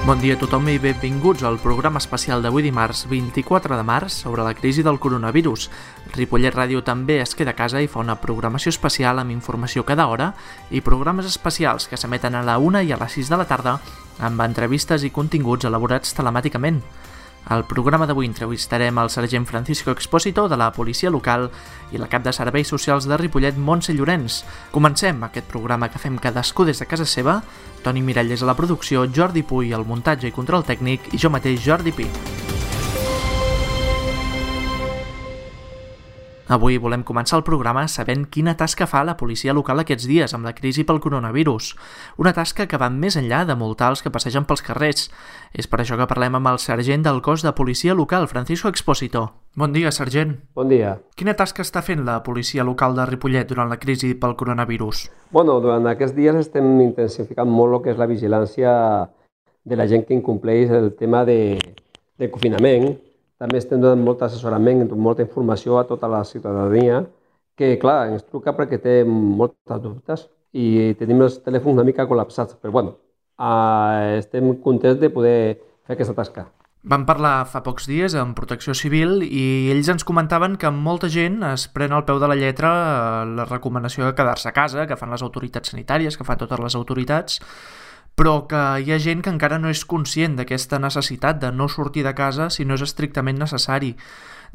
Bon dia a tothom i benvinguts al programa especial d'avui dimarts 24 de març sobre la crisi del coronavirus. Ripollet Ràdio també es queda a casa i fa una programació especial amb informació cada hora i programes especials que s'emeten a la 1 i a les 6 de la tarda amb entrevistes i continguts elaborats telemàticament. Al programa d'avui entrevistarem el sergent Francisco Expósito de la policia local i la cap de serveis socials de Ripollet, Montse Llorenç. Comencem aquest programa que fem cadascú des de casa seva. Toni Miralles a la producció, Jordi Puy al muntatge i control tècnic i jo mateix, Jordi Pi. Avui volem començar el programa sabent quina tasca fa la policia local aquests dies amb la crisi pel coronavirus. Una tasca que va més enllà de multar els que passegen pels carrers. És per això que parlem amb el sergent del cos de policia local, Francisco Expósito. Bon dia, sergent. Bon dia. Quina tasca està fent la policia local de Ripollet durant la crisi pel coronavirus? Durant aquests dies estem intensificant molt el que és la vigilància de la gent que incompleix el tema de confinament. També estem donant molt assessorament, molta informació a tota la ciutadania que, clar, ens truca perquè té moltes dubtes i tenim els telèfons una mica col·lapsats. Però, estem contents de poder fer aquesta tasca. Vam parlar fa pocs dies amb Protecció Civil i ells ens comentaven que molta gent es pren al peu de la lletra la recomanació de quedar-se a casa, que fan les autoritats sanitàries, que fan totes les autoritats, però que hi ha gent que encara no és conscient d'aquesta necessitat de no sortir de casa si no és estrictament necessari.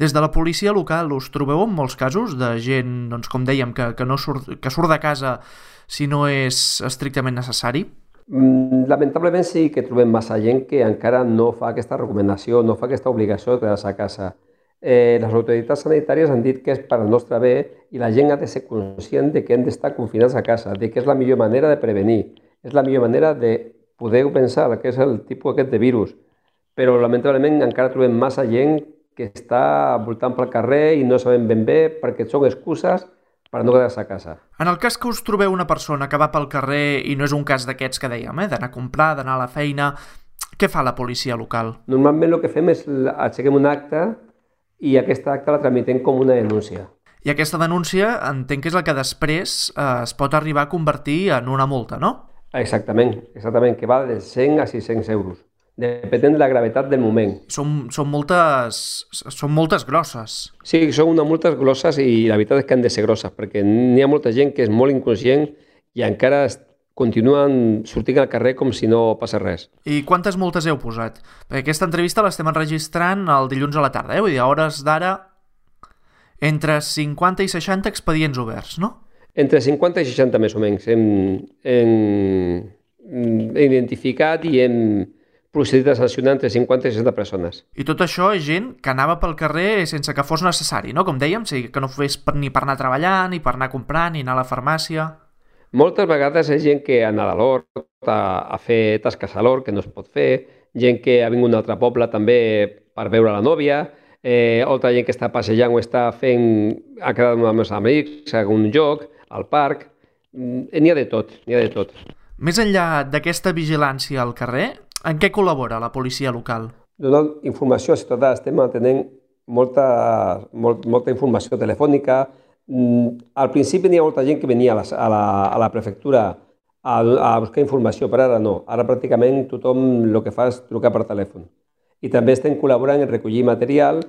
Des de la policia local us trobeu en molts casos de gent, doncs, com dèiem, que surt de casa si no és estrictament necessari? Lamentablement sí que trobem massa gent que encara no fa aquesta recomanació, no fa aquesta obligació de quedar-se a casa. Les autoritats sanitàries han dit que és per al nostre bé i la gent ha de ser conscient de que hem d'estar confinats a casa, de que és la millor manera de prevenir. És la millor manera de poder pensar que és el tipus aquest de virus. Però lamentablement encara trobem massa gent que està voltant pel carrer i no sabem ben bé perquè són excuses per no quedar-se a casa. En el cas que us trobeu una persona que va pel carrer i no és un cas d'aquests que dèiem, d'anar a comprar, d'anar a la feina, què fa la policia local? Normalment el que fem és aixequem un acte i aquesta acta la tramitem com una denúncia. I aquesta denúncia entenc que és la que després es pot arribar a convertir en una multa, no? Exactament, que va de 100 a 600 euros, depenent de la gravetat del moment. Són multes grosses. Sí, són unes multes grosses i la veritat és que han de ser grosses, perquè n'hi ha molta gent que és molt inconscient i encara continuen sortint al carrer com si no passés res. I quantes multes heu posat? Perquè aquesta entrevista l'estem enregistrant el dilluns a la tarda, Vull dir, a hores d'ara, entre 50 i 60 expedients oberts, no? Entre 50 i 60 més o menys hem identificat i hem procedit a sancionar entre 50 i 60 persones. I tot això és gent que anava pel carrer sense que fos necessari, no? Com dèiem, que no fes ni per anar a treballar, ni per anar a comprar, ni anar a la farmàcia. Moltes vegades és gent que ha anat a l'hort, a fer tasques a l'hort, que no es pot fer, gent que ha vingut d'un altre poble també per veure la nòvia, altra gent que està passejant o ha quedat amb els amics a un lloc, al parc, n'hi ha de tot. Més enllà d'aquesta vigilància al carrer, en què col·labora la policia local? Donant informació a ciutadà, estem mantenint molta informació telefònica. Al principi n'hi ha molta gent que venia a la prefectura a buscar informació, però ara no. Ara pràcticament tothom el que fa és trucar per telèfon. I també estem col·laborant en recollir material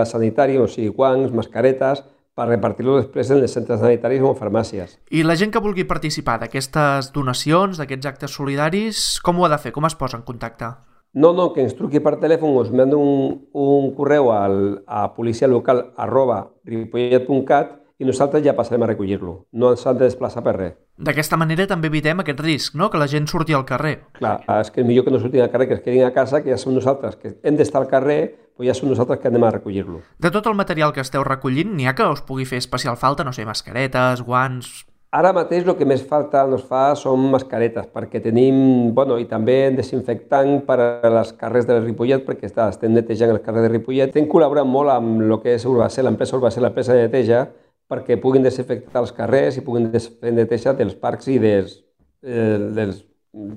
sanitari, o sigui, guants, mascaretes, per repartir-lo després en els centres sanitaris o en farmàcies. I la gent que vulgui participar d'aquestes donacions, d'aquests actes solidaris, com ho ha de fer? Com es posa en contacte? No, que ens truqui per telèfon o ens mandi un correu a policialocal@ripollet.cat i nosaltres ja passarem a recollir-lo. No ens han de desplaçar per res. D'aquesta manera també evitem aquest risc, no?, que la gent surti al carrer. Clar, és que és millor que no surtin al carrer, que es quedin a casa, que ja som nosaltres, que hem d'estar al carrer, però ja som nosaltres que anem a recollir-lo. De tot el material que esteu recollint, n'hi ha que us pugui fer especial falta, no sé, mascaretes, guants... Ara mateix el que més falta ens fa són mascaretes, perquè tenim, i també desinfectant per a les carrers de Ripollet, perquè estem netejant els carrers de Ripollet. Estem col·laborant molt amb el que és Urbacel, l'empresa Urbacel, l'empresa de neteja, perquè puguin desinfectar els carrers i puguin fer neteja dels parcs i dels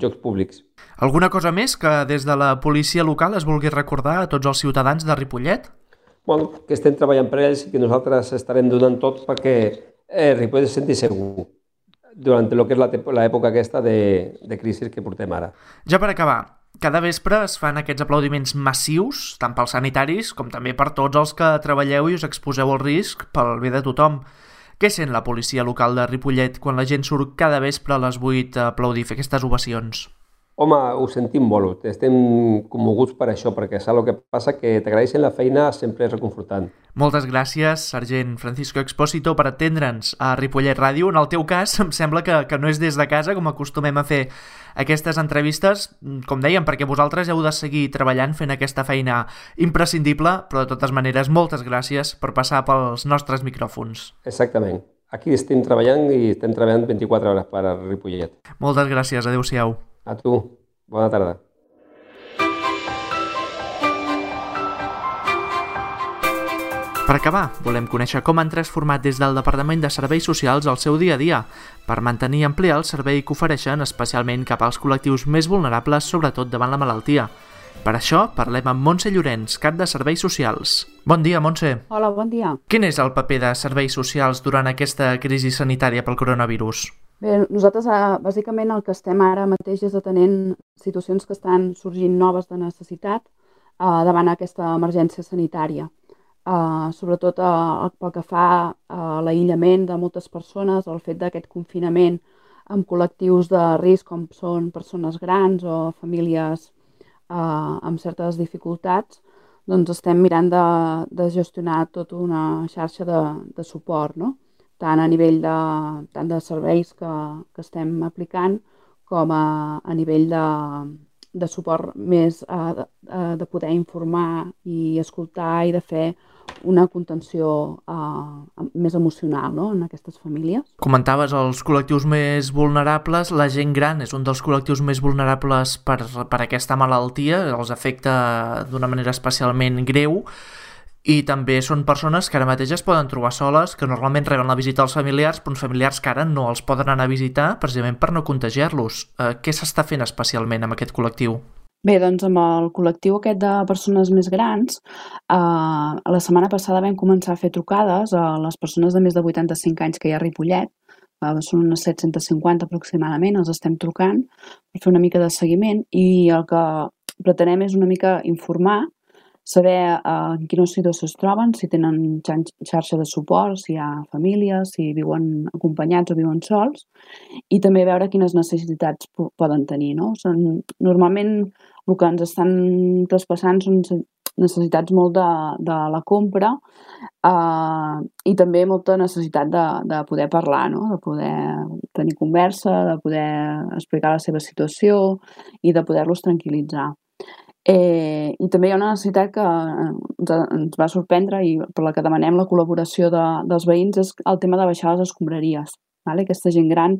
llocs públics. Alguna cosa més que des de la policia local es vulgui recordar a tots els ciutadans de Ripollet? Que estem treballant per ells i que nosaltres estarem donant tot perquè Ripollet es senti segur durant el que és l'època aquesta de crisi que portem ara. Ja per acabar, Cada vespre es fan aquests aplaudiments massius, tant pels sanitaris com també per tots els que treballeu i us exposeu al risc pel bé de tothom. Què sent la policia local de Ripollet quan la gent surt cada vespre a les 8 a aplaudir, fer aquestes ovacions? Home, ho sentim molt, estem commoguts per això, perquè saps el que passa? Que t'agraeixen la feina sempre és reconfortant. Moltes gràcies, sergent Francisco Expósito, per atendre'ns a Ripollet Ràdio. En el teu cas, em sembla que no és des de casa, com acostumem a fer aquestes entrevistes, com dèiem, perquè vosaltres heu de seguir treballant fent aquesta feina imprescindible, però de totes maneres, moltes gràcies per passar pels nostres micròfons. Exactament. Aquí estem treballant i estem treballant 24 hores per a Ripollet. Moltes gràcies, adeu-siau. A tu, bona tarda. Per acabar, volem conèixer com han transformat des del Departament de Serveis Socials el seu dia a dia per mantenir i ampliar el servei que ofereixen especialment cap als col·lectius més vulnerables, sobretot davant la malaltia. Per això parlem amb Montse Llorenç, cap de Serveis Socials. Bon dia, Montse. Hola, bon dia. Quin és el paper de Serveis Socials durant aquesta crisi sanitària pel coronavirus? Bé, nosaltres bàsicament el que estem ara mateix és atenent situacions que estan sorgint noves de necessitat davant aquesta emergència sanitària. Sobretot pel que fa a l'aïllament de moltes persones, el fet d'aquest confinament amb col·lectius de risc com són persones grans o famílies amb certes dificultats, doncs estem mirant de gestionar tota una xarxa de suport, no? Tant a nivell de serveis que estem aplicant com a nivell de suport més de poder informar i escoltar i de fer una contenció més emocional, no?, en aquestes famílies. Comentaves els col·lectius més vulnerables. La gent gran és un dels col·lectius més vulnerables per aquesta malaltia, els afecta d'una manera especialment greu. I també són persones que ara mateix es poden trobar soles, que normalment reben la visita dels familiars, però uns familiars que ara no els poden anar a visitar precisament per no contagiar-los. Què s'està fent especialment amb aquest col·lectiu? Bé, doncs amb el col·lectiu aquest de persones més grans, la setmana passada vam començar a fer trucades a les persones de més de 85 anys que hi ha a Ripollet. Són unes 750 aproximadament, els estem trucant per fer una mica de seguiment i el que pretenem és una mica informar, saber en quina situació es troben, si tenen xarxa de suport, si hi ha famílies, si viuen acompanyats o viuen sols, i també veure quines necessitats poden tenir, no? Normalment el que ens estan traspassant són necessitats molt de la compra i també molta necessitat de poder parlar, no? De poder tenir conversa, de poder explicar la seva situació i de poder-los tranquil·litzar. I també hi ha una necessitat que ens va sorprendre i per la que demanem la col·laboració dels veïns és el tema de baixar les escombraries. Aquesta gent gran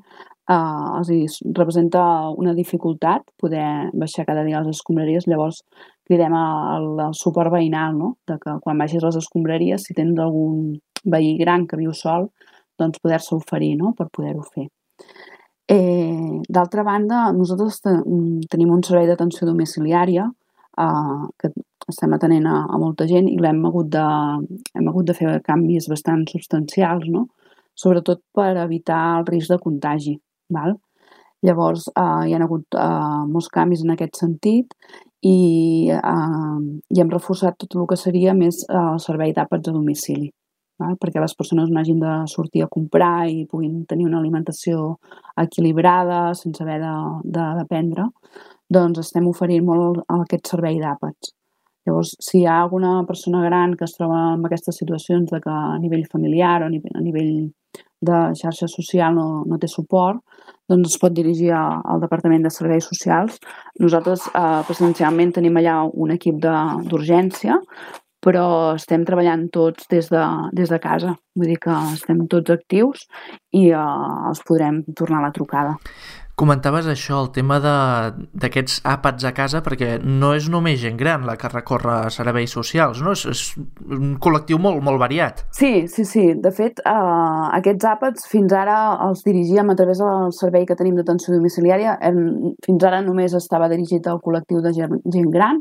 els representa una dificultat poder baixar cada dia les escombraries, llavors cridem al suport veïnal, no? De que quan baixis les escombraries, si tens algun veí gran que viu sol, doncs poder-se oferir, no?, per poder-ho fer. D'altra banda, nosaltres tenim un servei d'atenció domiciliària que estem atenent a molta gent i hem hagut de fer canvis bastant substancials, no? Sobretot per evitar el risc de contagi. Llavors hi ha hagut molts canvis en aquest sentit i hem reforçat tot el que seria més el servei d'àpats a domicili, perquè les persones no hagin de sortir a comprar i puguin tenir una alimentació equilibrada sense haver de dependre. Doncs estem oferint molt aquest servei d'àpats. Llavors, si hi ha alguna persona gran que es troba en aquestes situacions de que a nivell familiar o a nivell de xarxa social no té suport, doncs es pot dirigir al Departament de Serveis Socials. Nosaltres presencialment tenim allà un equip d'urgència, però estem treballant tots des de casa. Vull dir que estem tots actius i els podrem tornar a la trucada. Comentaves això, el tema d'aquests àpats a casa, perquè no és només gent gran la que recorre a serveis socials, no? És un col·lectiu molt, molt variat. Sí. De fet, aquests àpats fins ara els dirigíem a través del servei que tenim d'atenció domiciliària. Fins ara només estava dirigit al col·lectiu de gent gran,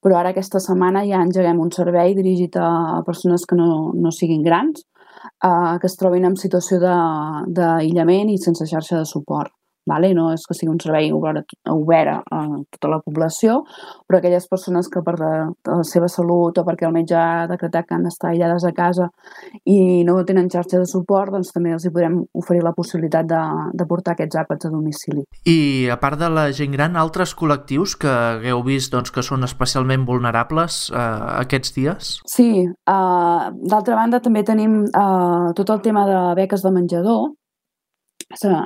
però ara aquesta setmana ja engeguem un servei dirigit a persones que no siguin grans, que es trobin en situació d'aïllament i sense xarxa de suport. Vale? No és que sigui un servei obert a tota la població, però aquelles persones que per la seva salut o perquè el metge ha decretat que han d'estar aïllades a casa i no tenen xarxa de suport, doncs també els hi podrem oferir la possibilitat de portar aquests àpats a domicili. I a part de la gent gran, altres col·lectius que hagueu vist doncs, que són especialment vulnerables aquests dies? Sí, d'altra banda també tenim tot el tema de beques de menjador.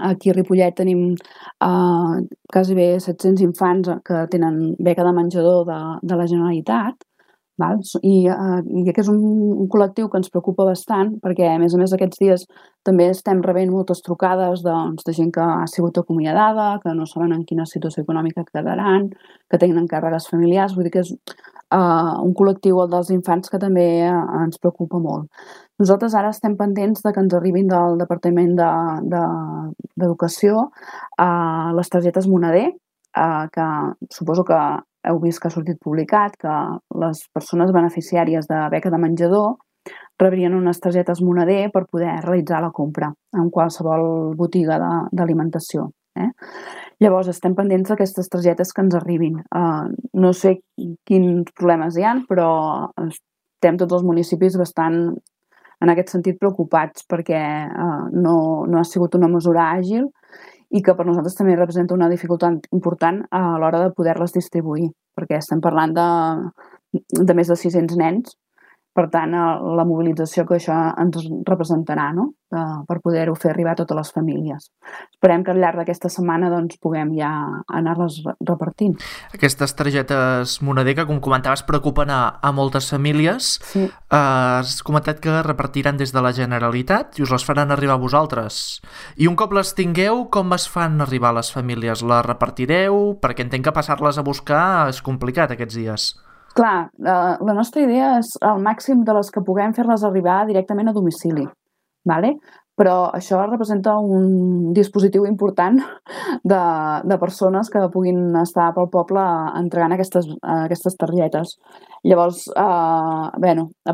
Aquí a Ripollet tenim quasi bé 700 infants que tenen beca de menjador de la Generalitat, val? I aquest és un col·lectiu que ens preocupa bastant perquè, a més aquests dies també estem rebent moltes trucades de gent que ha sigut acomiadada, que no saben en quina situació econòmica quedaran, que tenen càrregues familiars, vull dir que és un col·lectiu, el dels infants, que també ens preocupa molt. Nosaltres ara estem pendents de que ens arribin del Departament d'Educació les targetes Moneder, que suposo que heu vist que ha sortit publicat que les persones beneficiàries de beca de menjador rebrien unes targetes Moneder per poder realitzar la compra en qualsevol botiga d'alimentació. Llavors estem pendents d'aquestes targetes que ens arribin. No sé quins problemes hi ha, però estem tots els municipis bastant en aquest sentit preocupats perquè no ha sigut una mesura àgil i que per nosaltres també representa una dificultat important a l'hora de poder-les distribuir, perquè estem parlant de més de 600 nens. Per tant, la mobilització que això ens representarà, no? Per poder-ho fer arribar a totes les famílies. Esperem que al llarg d'aquesta setmana doncs, puguem ja anar-les repartint. Aquestes targetes Moneder, que com comentaves preocupen a moltes famílies, sí. Has comentat que repartiran des de la Generalitat i us les faran arribar a vosaltres. I un cop les tingueu, com es fan arribar a les famílies? Les repartireu? Perquè entenc que passar-les a buscar és complicat aquests dies. Clar, la nostra idea és al màxim de les que puguem fer-les arribar directament a domicili, vale? Però això representa un dispositiu important de persones que puguin estar pel poble entregant aquestes targetes. Llavors, a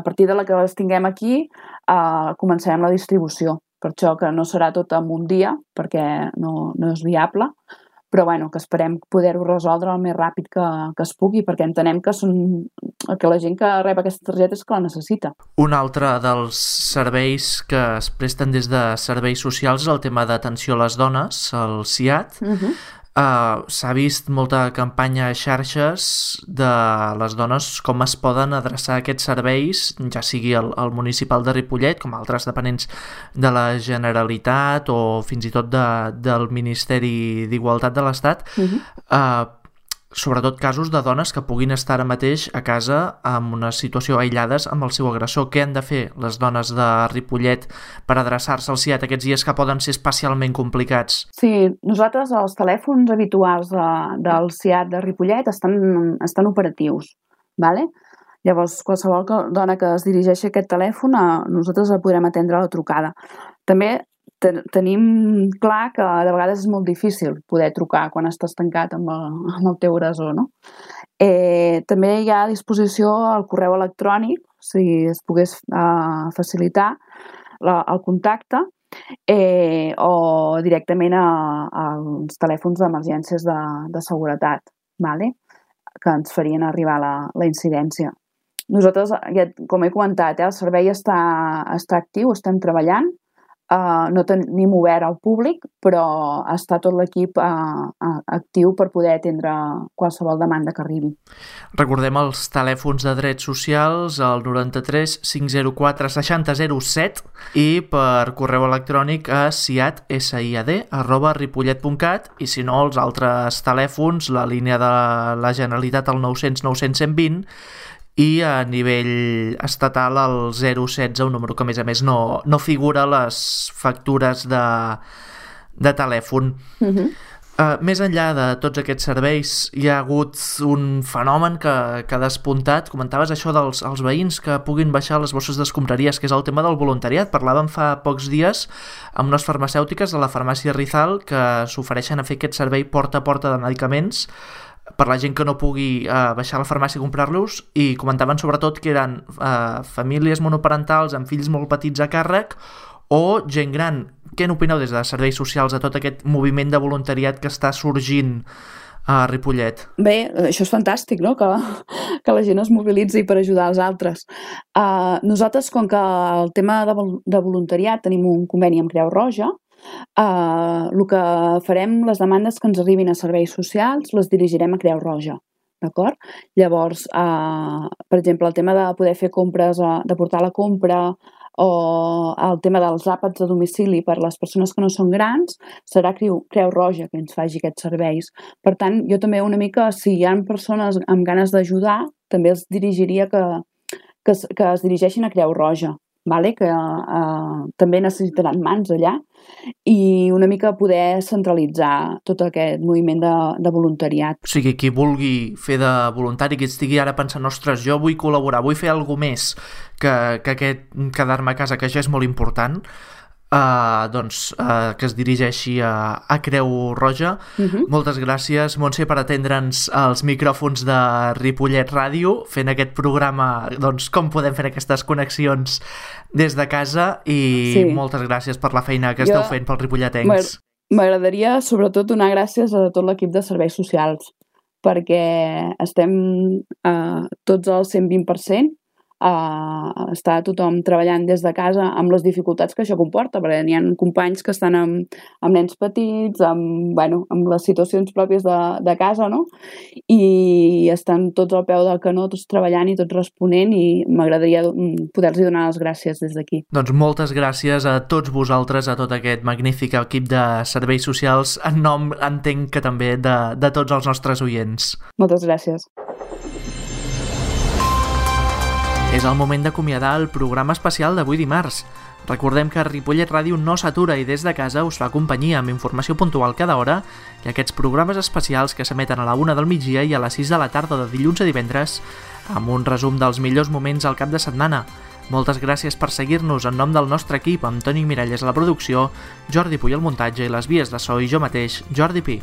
partir de la que les tinguem aquí, començarem la distribució. Per això que no serà tot en un dia, perquè no és viable, però que esperem poder-ho resoldre el més ràpid que es pugui, perquè entenem que la gent que rep aquestes targetes que la necessita. Un altre dels serveis que es presten des de serveis socials és el tema d'atenció a les dones, el SIAD. S'ha vist molta campanya a xarxes de les dones com es poden adreçar a aquests serveis, ja sigui el municipal de Ripollet com altres dependents de la Generalitat o fins i tot del Ministeri d'Igualtat de l'Estat, sobretot casos de dones que puguin estar ara mateix a casa en una situació aïllades amb el seu agressor. Què han de fer les dones de Ripollet per adreçar-se al SIAD aquests dies que poden ser especialment complicats? Sí, nosaltres els telèfons habituals del SIAD de Ripollet estan operatius, vale? Llavors qualsevol dona que es dirigeixi a aquest telèfon nosaltres podrem atendre la trucada. També tenim clar que de vegades és molt difícil poder trucar quan estàs tancat amb el teu agressor, no? També hi ha a disposició el correu electrònic, si es pogués facilitar el contacte, o directament als telèfons d'emergències de seguretat, vale? Que ens farien arribar la incidència. Nosaltres, com he comentat, el servei està actiu, estem treballant. No tenim obert al públic, però està tot l'equip actiu per poder atendre qualsevol demanda que arribi. Recordem els telèfons de drets socials, el 93 504 6007 i per correu electrònic a siad@ripollet.cat i si no els altres telèfons, la línia de la Generalitat al 900 900 120 i a nivell estatal el 016, un número que a més no figura a les factures de telèfon. Més enllà de tots aquests serveis hi ha hagut un fenomen que ha despuntat. Comentaves això dels veïns que puguin baixar les bosses d'escombraries, que és el tema del voluntariat. Parlàvem fa pocs dies amb unes farmacèutiques de la farmàcia Rizal que s'ofereixen a fer aquest servei porta a porta de medicaments per la gent que no pugui baixar a la farmàcia a comprar-los, i comentaven sobretot que eren famílies monoparentals amb fills molt petits a càrrec o gent gran. Què n'opineu des de serveis socials de tot aquest moviment de voluntariat que està sorgint a Ripollet? Bé, això és fantàstic, no? Que la gent es mobilitzi per ajudar els altres. Nosaltres, com que el tema de voluntariat tenim un conveni amb Creu Roja, el que farem, les demandes que ens arribin a serveis socials, les dirigirem a Creu Roja. D'acord? Llavors, per exemple, el tema de poder fer compres, de portar la compra, o el tema dels àpats a domicili per les persones que no són grans, serà Creu Roja que ens faci aquests serveis. Per tant, jo també una mica, si hi ha persones amb ganes d'ajudar, també els dirigiria que es dirigeixin a Creu Roja, vale? Que també necessitaran mans allà, i una mica poder centralitzar tot aquest moviment de voluntariat. O sigui, qui vulgui fer de voluntari, qui estigui ara pensant, ostres, jo vull col·laborar, vull fer alguna més que aquest quedar-me a casa, que ja és molt important, que es dirigeixi a Creu Roja. Moltes gràcies, Montse, per atendre'ns als micròfons de Ripollet Ràdio, fent aquest programa, doncs, com podem fer aquestes connexions des de casa, i moltes gràcies per la feina que esteu fent pels ripolletens. M'agradaria, sobretot, donar gràcies a tot l'equip de serveis socials, perquè estem tots al 120%, està tothom treballant des de casa amb les dificultats que això comporta, perquè n'hi ha companys que estan amb nens petits, amb les situacions pròpies de casa, no? I estan tots al peu del canó, tots treballant i tots responent, i m'agradaria poder-los donar les gràcies des d'aquí. Doncs moltes gràcies a tots vosaltres, a tot aquest magnífic equip de serveis socials, en nom, entenc que també, de tots els nostres oients. Moltes gràcies. És el moment d'acomiadar el programa especial d'avui dimarts. Recordem que Ripollet Ràdio no s'atura i des de casa us fa companyia amb informació puntual cada hora i aquests programes especials que s'emeten a la 1 del migdia i a les 6 de la tarda de dilluns a divendres amb un resum dels millors moments al cap de setmana. Moltes gràcies per seguir-nos en nom del nostre equip, amb Toni Miralles a la producció, Jordi Puy al muntatge i les vies de so i jo mateix, Jordi Pi.